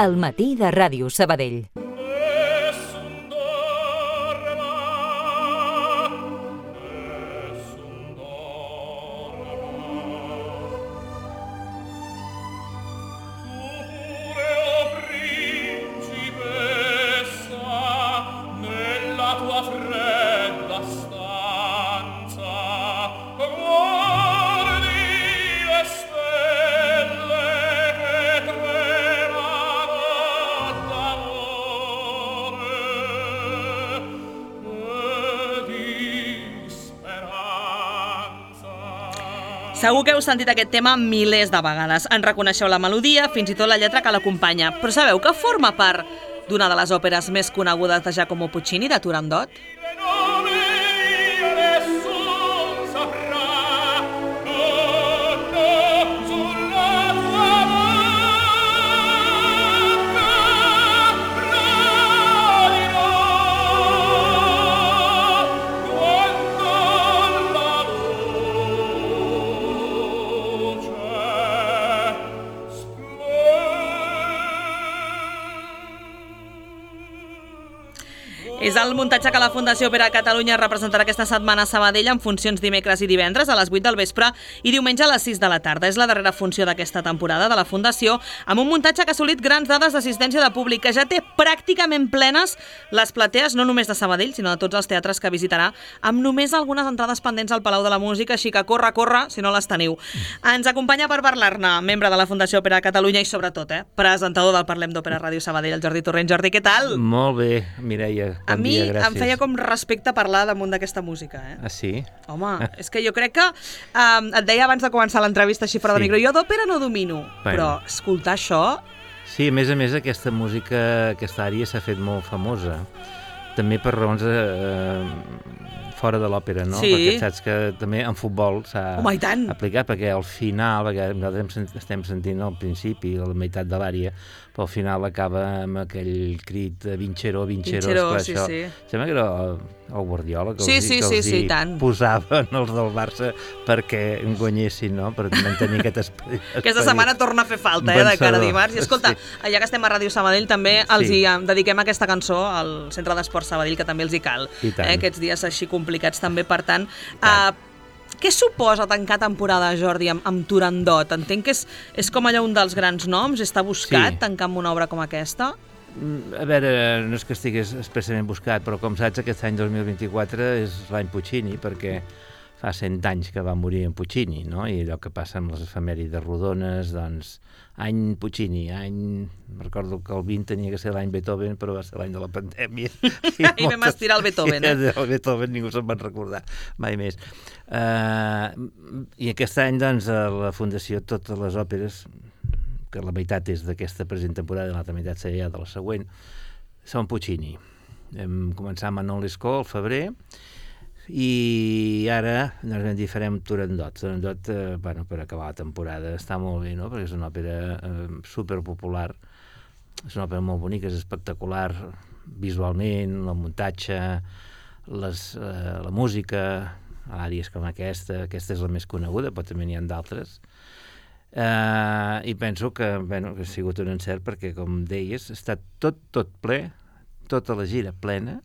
El matí de Ràdio Sabadell. Segur que heu sentit aquest tema milers de vegades. En reconeixeu la melodia, fins i tot la lletra que l'acompanya. Però sabeu que forma part d'una de les òperes més conegudes de Giacomo Puccini, de Turandot? És el muntatge que la Fundació Òpera Catalunya representarà aquesta setmana a Sabadell en funcions dimecres i divendres a les 8 del vespre i diumenge a les 6 de la tarda. És la darrera funció d'aquesta temporada de la Fundació, amb un muntatge que ha assolit grans dades d'assistència de públic, que ja té pràcticament plenes les platees, no només de Sabadell, sinó de tots els teatres que visitarà, amb només algunes entrades pendents al Palau de la Música, així que corre, si no les teniu. Ens acompanya per parlar-ne, membre de la Fundació Òpera Catalunya i sobretot, presentador del Parlem d'Òpera Ràdio Sabadell, el Jordi Torrent. Jordi, què tal? Molt bé, Mireia. A mi em feia com respecte parlar damunt d'aquesta música, Ah, sí? Home, és que jo crec que... et deia abans de començar l'entrevista així fora de micro, jo d'òpera no domino, però escoltar això... Sí, a més, aquesta música, aquesta àrea s'ha fet molt famosa, també per raons fora de l'òpera, no? Sí. Perquè saps que també en futbol s'ha aplicat, perquè al final, perquè nosaltres estem sentint al principi, a la meitat de l'àrea, però al final acaba amb aquell crit de Vincheró, Vincheró, esclar, sí, això. sí. Sembla que era el Guardiola que sí, els posaven els del Barça perquè guanyessin, no? Per mantenir aquest esperit. Aquesta setmana torna a fer falta, de cara a dimarts. I escolta, ja que estem a Ràdio Sabadell, també els dediquem aquesta cançó al Centre d'Esports Sabadell, que també els hi cal. Aquests dies així complicats també, per tant... Què suposa tancar temporada, Jordi, amb Turandot? Entenc que és com allò un dels grans noms, està buscat tancar amb una obra com aquesta? A veure, no és que estigués expressament buscat, però com saps, aquest any 2024 és l'any Puccini, perquè fa 100 anys que va morir en Puccini, no? I allò que passa amb les efemèrides rodones, doncs, any Puccini, recordo que el 20 tenia que ser l'any Beethoven, però va ser l'any de la pandèmia. I vam estirar el Beethoven, El Beethoven ningú se'n va recordar, mai més. I aquest any, doncs, a la Fundació, totes les òperes, que la meitat és d'aquesta present temporada i l'altra meitat serà de la següent, són Puccini. Vam començar amb Manon Lescaut al febrer, i ara ens vam dir farem Turandot. Turandot, per acabar la temporada, està molt bé, no? Perquè és una òpera superpopular, és una òpera molt bonica, és espectacular visualment, el muntatge, la música, àrees com aquesta és la més coneguda, però també n'hi ha d'altres. I penso que ha sigut un encert perquè, com deies, està tot ple, tota la gira plena,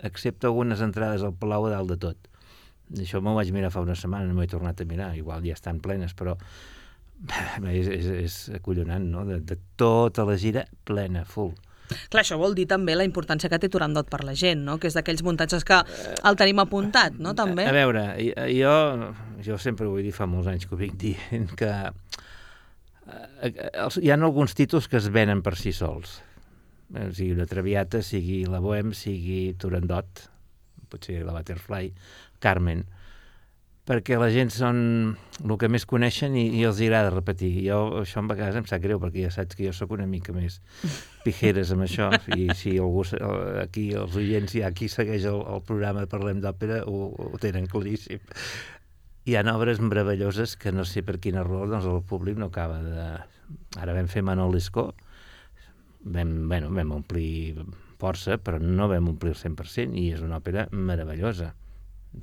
excepte algunes entrades al Palau a dalt de tot. Això m'ho vaig mirar fa una setmana, no m'ho he tornat a mirar, igual ja estan plenes, però és acollonant, no? De tota la gira plena, full. Clar, això vol dir també la importància que té Turandot per la gent, no? Que és d'aquells muntatges que el tenim apuntat, no? També. A veure, jo sempre ho vull dir, fa molts anys que ho vinc dient, que hi ha alguns títols que es venen per si sols. Sigui una Traviata, sigui la Bohème, sigui Turandot, potser la Butterfly, Carmen, perquè la gent són el que més coneixen i els agrada repetir. Això a vegades em sap greu, perquè ja saps que jo sóc una mica més pijeres amb això, i si algú aquí, els oients, qui segueix el programa Parlem d'Òpera, ho tenen claríssim. Hi ha obres meravelloses que no sé per quina raó doncs el públic no acaba de... Ara vam fer Manon Lescaut, vam omplir força, però no vam omplir el 100%, i és una òpera meravellosa.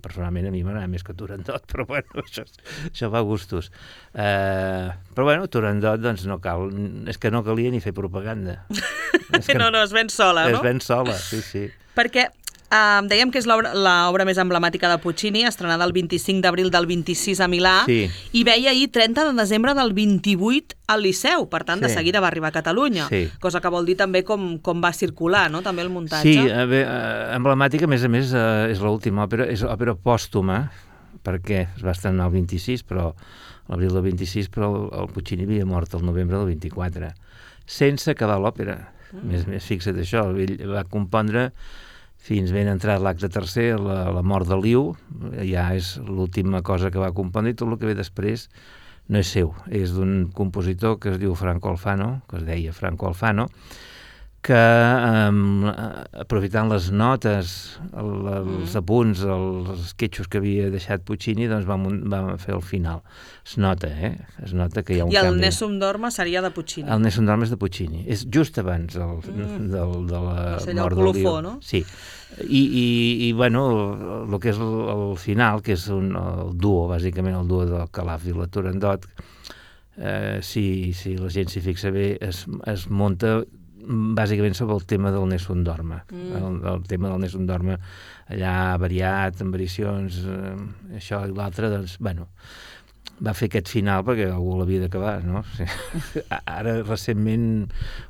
Personalment a mi m'agrada més que Turandot, però bueno, això va a gustos. Però bueno, Turandot, doncs no cal, és que no calia ni fer propaganda. No, es ven sola, no? Es ven sola, sí. Perquè dèiem que és l'obra més emblemàtica de Puccini, estrenada el 25 d'abril del 26 a Milà, i veia ahir 30 de desembre del 28 al Liceu, per tant, de seguida va arribar a Catalunya, cosa que vol dir també com va circular, no?, també el muntatge. Sí, emblemàtica, a més, és l'última òpera, és òpera pòstuma, perquè es va estrenar el 26, però l'abril del 26, però el Puccini havia mort el novembre del 24, sense acabar l'òpera. Més fixa't això, ell va compondre fins ben entrat l'acte tercer, la mort de Liu, ja és l'última cosa que va compondre, i tot el que ve després no és seu, és d'un compositor que es diu Franco Alfano, que es deia Franco Alfano, que aprofitant les notes, els apunts, els sketchos que havia deixat Puccini, doncs va fer el final. Es nota que hi ha un canvi. I el Nessun Dorma seria de Puccini. El Nessun Dorma és de Puccini. És just abans de la mort del Liu. No? Sí. I bueno, el que és el final, que és el duo, bàsicament el duo del Calaf i la Turandot, si la gent s'hi fixa bé, es munta bàsicament sobre el tema del Nessun Dorma. El tema del Nessun Dorma allà variat, amb variacions, això i l'altre, doncs, bueno, va fer aquest final perquè algú l'havia d'acabar, no? Ara, recentment,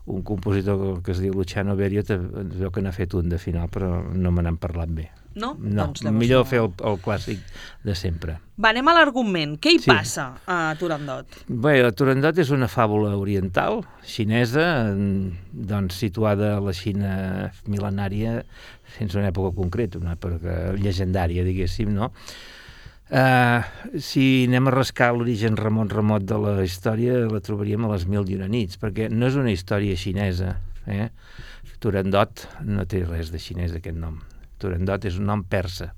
un compositor que es diu Luciano Berio veu que n'ha fet un de final, però no me n'han parlat bé. No? Doncs millor fer el clàssic de sempre. Va, anem a l'argument. Què hi passa a Turandot? Bé, Turandot és una fàbula oriental, xinesa, doncs situada a la Xina mil·lenària, sense una època concreta, una època llegendària, diguéssim, no? Si anem a rascar l'origen remot de la història, la trobaríem a les 1001 nits, perquè no és una història xinesa. Turandot no té res de xinès, aquest nom. Turandot és un nom persa,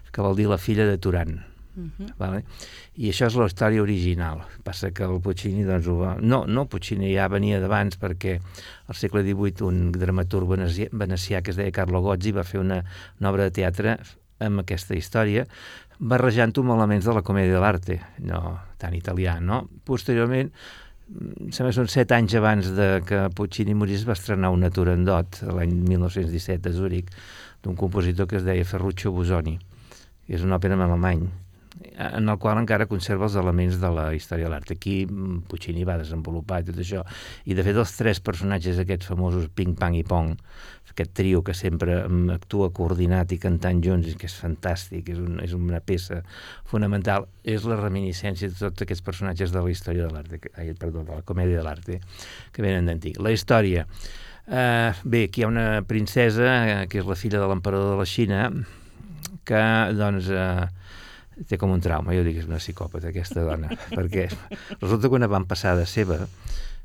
que vol dir la filla de Turan. Vale? I això és la història original. Passa que el Puccini, doncs, No, Puccini ja venia d'abans, perquè al segle XVIII un dramaturg venecià que es deia Carlo Gozzi va fer una obra de teatre amb aquesta història, barrejant-ho amb elements de la comèdia de l'arte, no tan italià, no? Posteriorment, sembla que són 7 anys abans que Puccini morís, va estrenar una Turandot, l'any 1917 a Zúrich, d'un compositor que es deia Ferruccio Busoni, que és una òpera en alemany, en el qual encara conserva els elements de la història de l'art. Aquí Puccini va desenvolupar tot això, i de fet els 3 personatges aquests famosos Ping, Pang i Pong, aquest trio que sempre actua coordinat i cantant junts, que és fantàstic, és una peça fonamental, és la reminiscència de tots aquests personatges de la història de l'art, de la comèdia de l'art, que venen d'antic. La història. Bé, aquí hi ha una princesa, que és la filla de l'emperador de la Xina, que, doncs, té com un trauma. Jo dic que és una psicòpata, aquesta dona, perquè resulta que una avantpassada seva,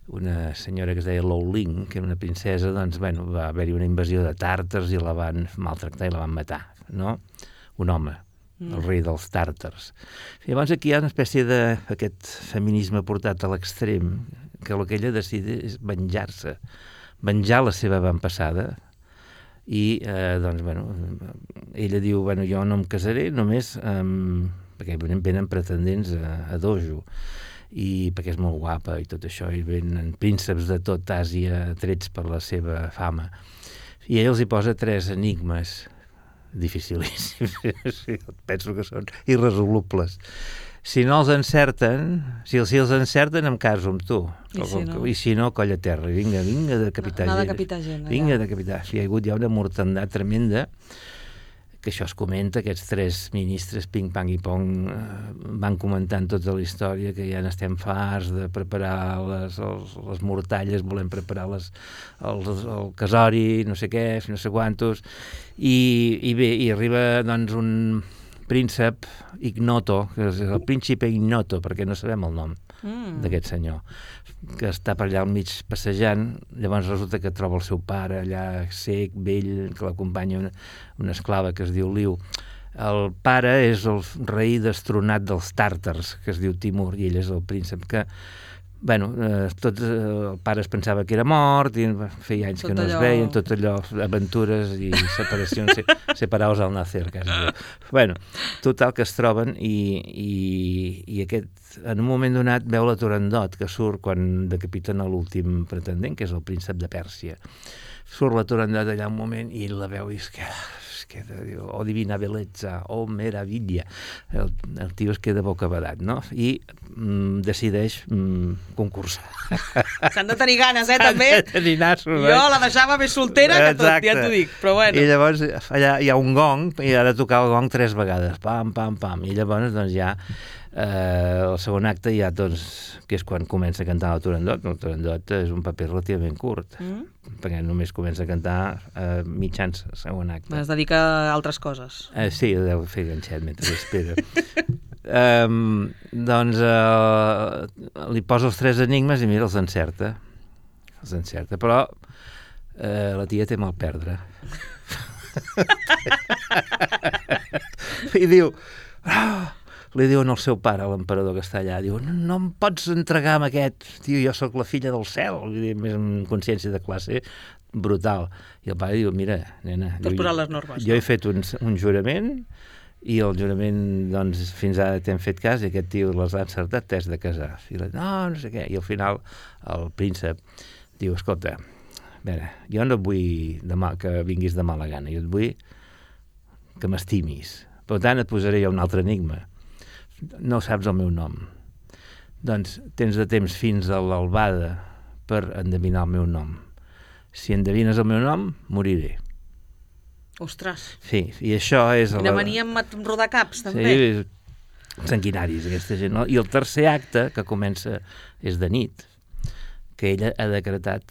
una senyora que es deia Lou Ling, que era una princesa, doncs, bueno, va haver-hi una invasió de tàrtars i la van maltractar i la van matar, no? Un home, el rei dels tàrtars. I llavors aquí hi ha una espècie d'aquest feminisme portat a l'extrem, que el que ella decideix és venjar la seva avantpassada, i, doncs, bueno, ella diu, bueno, jo no em casaré només perquè venen pretendents a dojo, i perquè és molt guapa i tot això, i venen prínceps de tot Àsia trets per la seva fama, i ell els hi posa 3 enigmes dificilíssims. Penso que són irresolubles. Si no els encerten, si els encerten, em caso amb tu. I si no, colla terra. Vinga de decapitar gent. Vinga de decapitar. Hi ha hagut ja una mortandat tremenda, que això es comenta, aquests 3 ministres, Ping, Pang i Pong, van comentant tota la història, que ja n'estem farts de preparar les mortalles, volem preparar el casori, no sé què, no sé quantos, i bé, i arriba, doncs, un príncep Ignoto, que és el príncipe Ignoto, perquè no sabem el nom d'aquest senyor, que està per allà al mig passejant. Llavors resulta que troba el seu pare allà sec, vell, que l'acompanya una esclava que es diu Liu. El pare és el rei destronat dels tàrtars, que es diu Timur, i ell és el príncep que Bueno, el pare es pensava que era mort, i feia anys que no es veien, tot allò, aventures i separacions, separados al nacer, quasi. Bueno, total que es troben i aquest, en un moment donat, veu la Turandot, que surt quan decapiten l'últim pretendent, que és el príncep de Pèrsia. Surt la Turandot allà un moment i la veu i diu, oh divina bellezza, oh meraviglia. El tio es queda bocabadat, no? I decideix concursar. S'han de tenir ganes, també? S'han de tenir nassos, Jo la deixava més soltera que tot, ja t'ho dic, però bueno. I llavors allà hi ha un gong i ha de tocar el gong 3 vegades, pam, pam, pam, i llavors doncs ja el segon acte ja, doncs, que és quan comença a cantar la Turandot. El Turandot és un paper relativament curt, perquè només comença a cantar mitjans segon acte. Es dedica a altres coses. Sí, deu fer ganxet mentre espera. Doncs li posa els 3 enigmes i mira, els encerta. Però la tia té mal perdre. I diu... Li diuen al seu pare, l'emperador que està allà, diu, no em pots entregar amb aquest, tio, jo sóc la filla del cel, més amb consciència de classe brutal. I el pare diu, mira, nena, t'has posat les normes, jo he fet un jurament i el jurament, doncs, fins ara t'hem fet cas i aquest tio les ha encertat, t'has de casar. I la, no sé què. I al final el príncep diu, escolta, a veure, jo no et vull que vinguis de mala gana, jo et vull que m'estimis. Per tant, et posaré jo un altre enigma. No saps el meu nom. Doncs tens de temps fins a l'albada per endevinar el meu nom. Si endevines el meu nom, moriré. Ostres. Sí, i això és... Quina mania amb rodar caps, també. Sí, sanguinaris, aquesta gent. No? I el tercer acte, que comença, és de nit, que ella ha decretat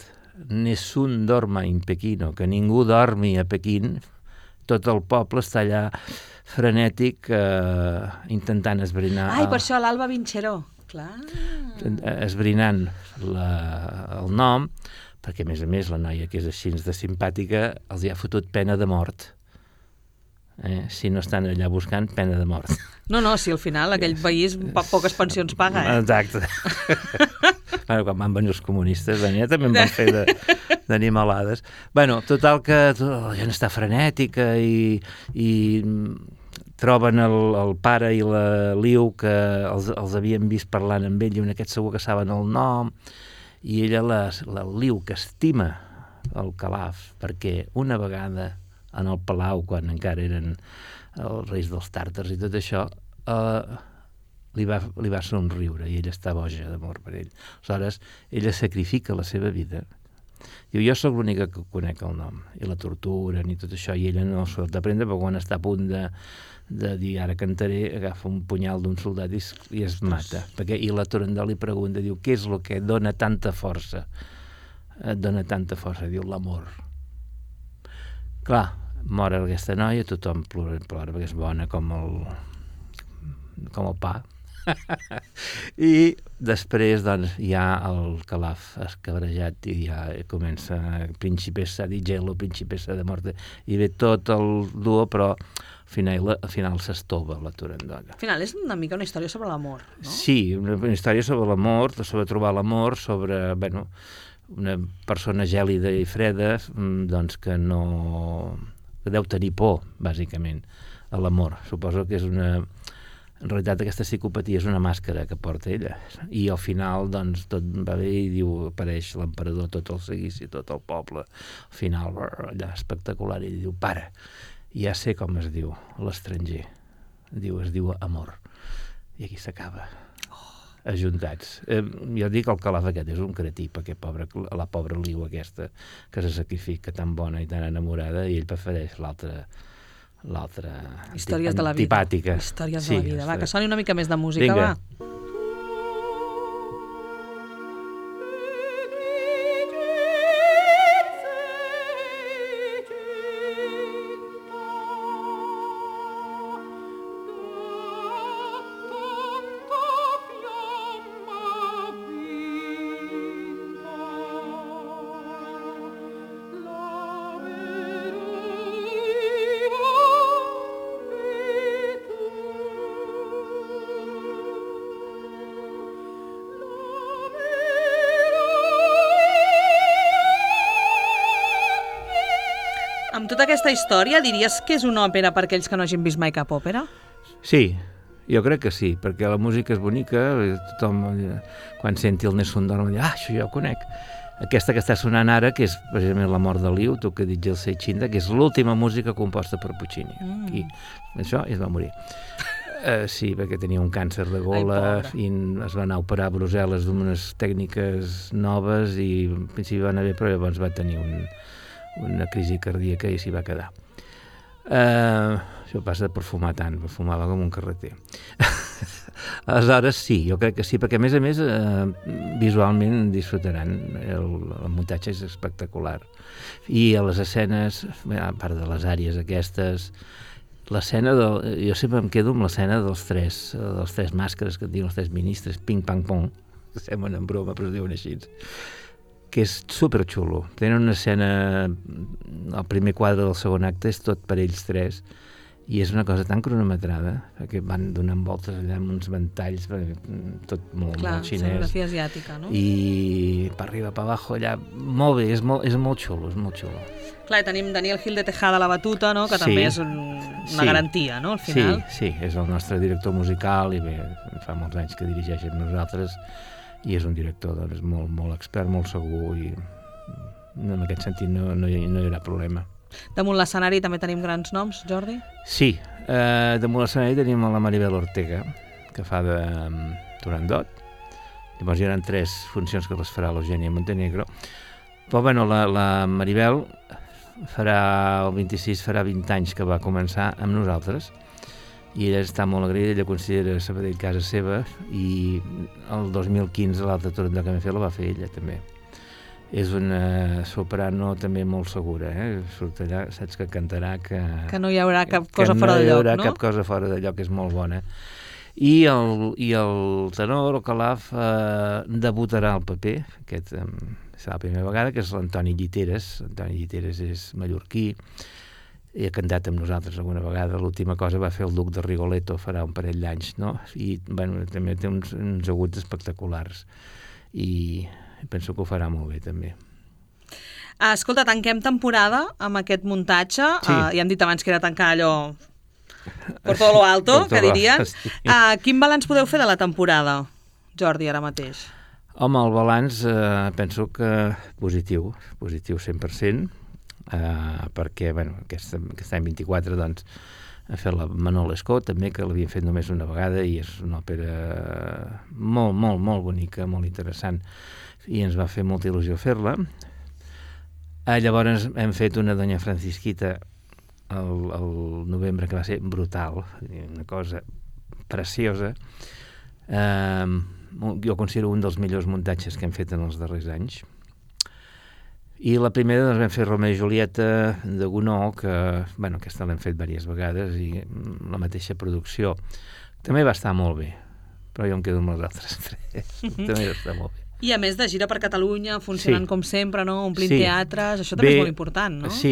nessun dorma in Pechino, que ningú dormi a Pequín, tot el poble està allà frenètic intentant esbrinar... Ai, per això l'Alba Vincheró, clar. Esbrinant el nom, perquè a més la noia que és així de simpàtica els hi ha fotut pena de mort. Si no estan allà buscant, pena de mort. No, si al final aquell país poques pensions paga, Exacte. Bueno, quan van venir els comunistes, també en van fer d'animalades. Bueno, total que la gent està frenètica i troben el pare i la Liu que els havien vist parlant amb ell i aquest segur que saben el nom, i ella, la Liu, que estima el Calaf, perquè una vegada en el palau, quan encara eren els reis dels tàrtars i tot això, li va somriure i ella està boja d'amor per ell. Aleshores, ella sacrifica la seva vida. Diu, jo sóc l'única que conec el nom, i la torturen i tot això, i ella no s'ho ha d'aprendre, però quan està a punt de dir ara cantaré, agafa un punyal d'un soldat i es mata. I la Turandot li pregunta, diu, què és el que dona tanta força? Et dona tanta força, diu, l'amor. Clar, mor aquesta noia, tothom plora perquè és bona com el pa. I després doncs hi ha el Calaf escabrejat i ja comença Principessa di Gelo, Principessa de Morte, i ve tot el duo, però al final s'estova la Turandot. Al final és una mica una història sobre l'amor, no? Sí, una història sobre l'amor, sobre trobar l'amor, sobre, una persona gèlida i freda, doncs que deu tenir por, bàsicament, a l'amor. Suposo que és en realitat aquesta psicopatia és una màscara que porta ella, i al final doncs tot va bé i diu, apareix l'emperador, tot el seguici, tot el poble, al final allà espectacular, i diu, para, ja sé com es diu l'estranger, es diu amor, i aquí s'acaba, ajuntats. Jo dic el Calaf aquest és un cretí, perquè la pobra Liu aquesta que se sacrifica tan bona i tan enamorada, i ell prefereix l'altra històries de la vida. Antipàtica. Històries de la vida. Va, que soni una mica més de música, Vinga. va. Amb tota aquesta història, diries que és una òpera per aquells que no hagin vist mai cap òpera? Sí, jo crec que sí, perquè la música és bonica, tothom, quan senti el Nessun Dorma, diu, això jo ho conec. Aquesta que està sonant ara, que és precisament La mort de Liu, tu que dius el Seichinda, que és l'última música composta per Puccini. I això es va morir. Sí, perquè tenia un càncer de gola i es va anar a operar a Brussel·les d'unes tècniques noves i en principi va anar bé, però llavors va tenir una crisi cardíaca i s'hi va quedar. Això passa per fumar tant, fumava com un carreter. Aleshores sí, jo crec que sí, perquè a més visualment disfrutaran, el muntatge és espectacular. I a les escenes, a part de les àrees aquestes, l'escena jo sempre em quedo amb l'escena dels tres màscares que et diuen els tres ministres, ping, pang, pong, que semblen en broma, però es diuen així, que és superxulo. Tenen una escena, el primer quadre del segon acte és tot per ells tres, i és una cosa tan cronometrada, perquè van donant voltes allà amb uns ventalls, tot molt xinès. Escenografia asiàtica, no? I per arriba, per abajo, allà, molt bé, és molt xulo, és molt xulo. Clar, i tenim Daniel Gil de Tejada a la batuta, no? Que també és una garantia, no?, al final. Sí, és el nostre director musical, i bé, fa molts anys que dirigeix amb nosaltres, i és un director doncs, molt expert, molt segur, i en aquest sentit no hi haurà problema. Damunt l'escenari també tenim grans noms, Jordi? Sí, damunt l'escenari tenim la Maribel Ortega, que fa de Turandot. Llavors hi haurà 3 funcions que les farà l'Eugènia Montenegro. Però bueno, la Maribel el 26 farà 20 anys que va començar amb nosaltres, i ella està molt agraïda, ella considera Sabadell casa seva, i el 2015 l'altra Turandot que vam fer la va fer ella també. És una soprano també molt segura, surt allà, saps que cantarà que no hi haurà cap cosa fora de lloc, no? Que no hi haurà cap cosa fora de lloc, és molt bona. I el tenor, el Calaf, debutarà al paper, aquest serà la primera vegada, que és l'Antoni Lliteres. Antoni Lliteres és mallorquí, i ha cantat amb nosaltres alguna vegada. L'última cosa va fer el Duc de Rigoletto, farà un parell d'anys, no? I bueno, també té uns aguts espectaculars. I penso que ho farà molt bé, també. Escolta, tanquem temporada amb aquest muntatge. Sí. Ja hem dit abans que era tancar allò por todo lo alto, que dirien. Sí. Quin balanç podeu fer de la temporada, Jordi, ara mateix? Home, el balanç penso que positiu 100%, perquè bueno, aquest any 24 doncs, ha fet la Manon Lescaut també, que l'havien fet només una vegada, i és una òpera molt bonica, molt interessant, i ens va fer molta il·lusió fer-la. Llavors hem fet una Doña Francisquita el novembre, que va ser brutal, una cosa preciosa. Jo considero un dels millors muntatges que hem fet en els darrers anys. I la primera doncs, vam fer Romeo i Julieta de Gounod, que aquesta l'hem fet diverses vegades, i la mateixa producció. També va estar molt bé, però jo em quedo amb les altres 3. També va estar molt bé. I a més de gira per Catalunya, funcionant com sempre, no? Omplint teatres, això també és molt important, no? Sí,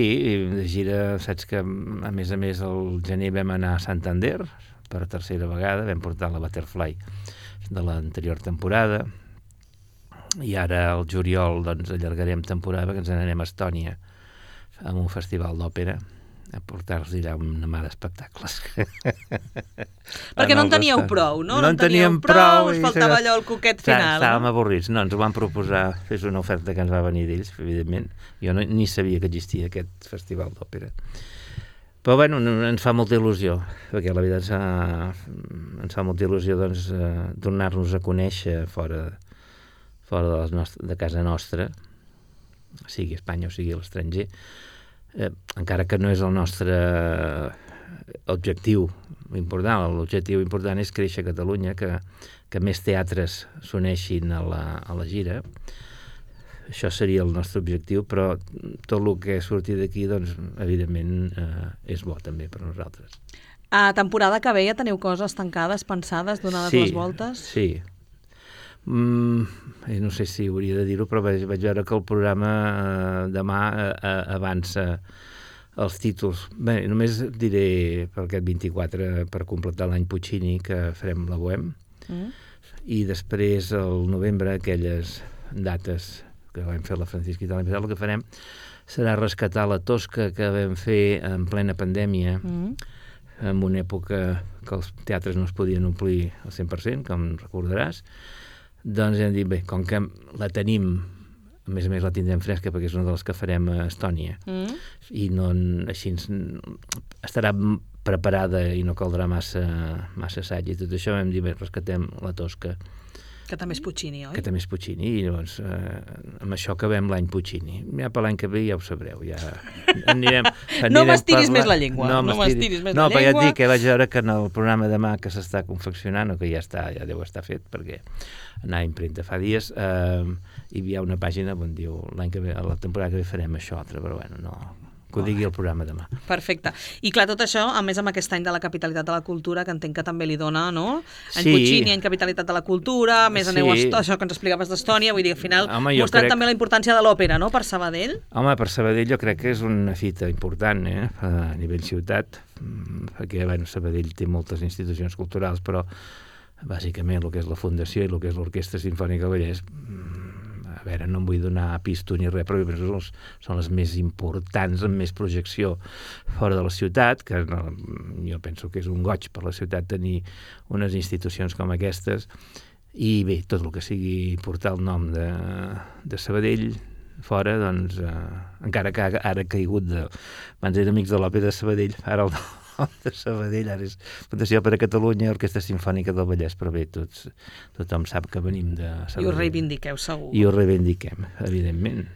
de gira, saps que a més el gener vam anar a Santander per 3a vegada, vam portar la Butterfly de l'anterior temporada, i ara al juliol doncs allargarem temporada, que ens n'anem a Estònia amb un festival d'òpera a portar-los allà una mà d'espectacles. Perquè no en teníeu prou, no? No en teníem prou, us faltava allò el coquet final. Estàvem avorrits, no, ens ho van proposar, és una oferta que ens va venir d'ells, evidentment. Jo ni sabia que existia aquest festival d'òpera. Però bueno, ens fa molta il·lusió, perquè la veritat ens fa molta il·lusió doncs, donar-nos a conèixer fora de casa nostra, sigui a Espanya o sigui a l'estranger, encara que no és el nostre objectiu important. L'objectiu important és créixer a Catalunya, que més teatres s'uneixin a la gira. Això seria el nostre objectiu, però tot el que surti d'aquí, doncs, evidentment, és bo també per nosaltres. A temporada que ve ja teniu coses tancades, pensades, donades les voltes? Sí. No sé si hauria de dir-ho, però vaig veure que el programa demà avança els títols. Bé, només diré per aquest 24, per completar l'any Puccini, que farem la Bohème, i després al novembre aquelles dates que vam fer la Francisca i la Miquel, el que farem serà rescatar la Tosca que vam fer en plena pandèmia, en una època que els teatres no es podien omplir al 100%, com recordaràs. Doncs hem dit, bé, com que la tenim, a més la tindrem fresca perquè és una de les que farem a Estònia, i no, així estarà preparada i no caldrà massa assaig i tot això, hem dit, bé, rescatem la Tosca. Que també és Puccini, oi? Que també és Puccini, i llavors amb això acabem l'any Puccini. Ja per l'any que ve ja ho sabreu, ja anirem no m'estiris més la llengua. No m'estiris més la llengua. No, perquè ja et dic que vaig veure que en el programa demà que s'està confeccionant, o que ja deu estar fet, perquè anar a impremta fa dies, hi ha una pàgina on diu l'any que ve, a la temporada que ve farem això altre, però bueno, no... que ho digui el programa demà. Perfecte. I clar, tot això, a més amb aquest any de la capitalitat de la cultura, que entenc que també li dona, no? Any Puccini, any capitalitat de la cultura, a més aneu a això que ens explicaves d'Estònia, vull dir, al final mostrant també la importància de l'òpera, no?, per Sabadell. Home, per Sabadell jo crec que és una fita important, a nivell ciutat, perquè, bueno, Sabadell té moltes institucions culturals, però bàsicament el que és la Fundació i el que és l'Orquestra Simfònica Vallès, a veure, no em vull donar pisto ni res, però són les més importants, amb més projecció fora de la ciutat, que jo penso que és un goig per la ciutat tenir unes institucions com aquestes, i bé, tot el que sigui portar el nom de Sabadell fora, doncs, encara que ara ha caigut abans era Amics de l'Òpera de Sabadell, ara el nom de Sabadell, ara és Fundació per a Catalunya, Orquestra Simfònica del Vallès, però bé, tothom sap que venim de Sabadell. I ho reivindiqueu, segur. I ho reivindiquem, evidentment.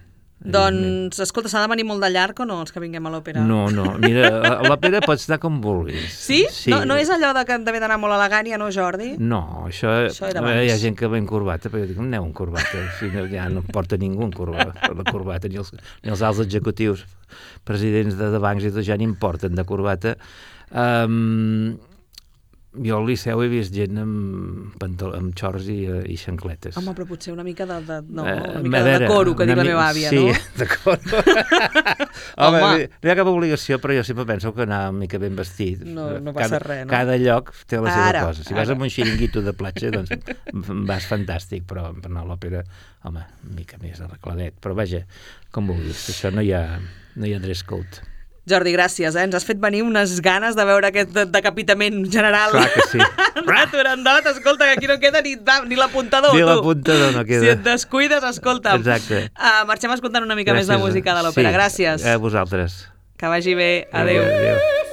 Doncs, escolta, s'ha de venir molt de llarg o no, els que vinguem a l'òpera? No, mira, a l'òpera pots anar com vulguis. Sí? No és allò que d'haver d'anar molt elegant, ja no, Jordi? No, això era abans. Hi ha gent que va en corbata, però jo dic, aneu en corbata, ja no porta ningú en corbata, ni els alts executius, presidents de bancs i tot, ja n'importen de corbata. Jo al Liceu he vist gent amb xorts i xancletes. Home, però potser una mica de coro, que diu la meva àvia, no? Sí, de coro. Home, no hi ha cap obligació, però jo sempre penso que anar una mica ben vestit. No passa res, no? Cada lloc té la seva cosa. Si vas a un xiringuito de platja, doncs vas fantàstic, però per anar a l'òpera, home, una mica més arregladet. Però vaja, com vulguis, això no hi ha dress code. Jordi, gràcies, ens has fet venir unes ganes de veure aquest decapitament general. Clar que sí. Turandot, escolta, que aquí no queda ni l'apuntador. Ni l'apuntador no queda. Si et descuides, escolta'm. Exacte. Marxem escoltant una mica més de música de l'òpera. Gràcies. A vosaltres. Que vagi bé. Adéu. Adéu.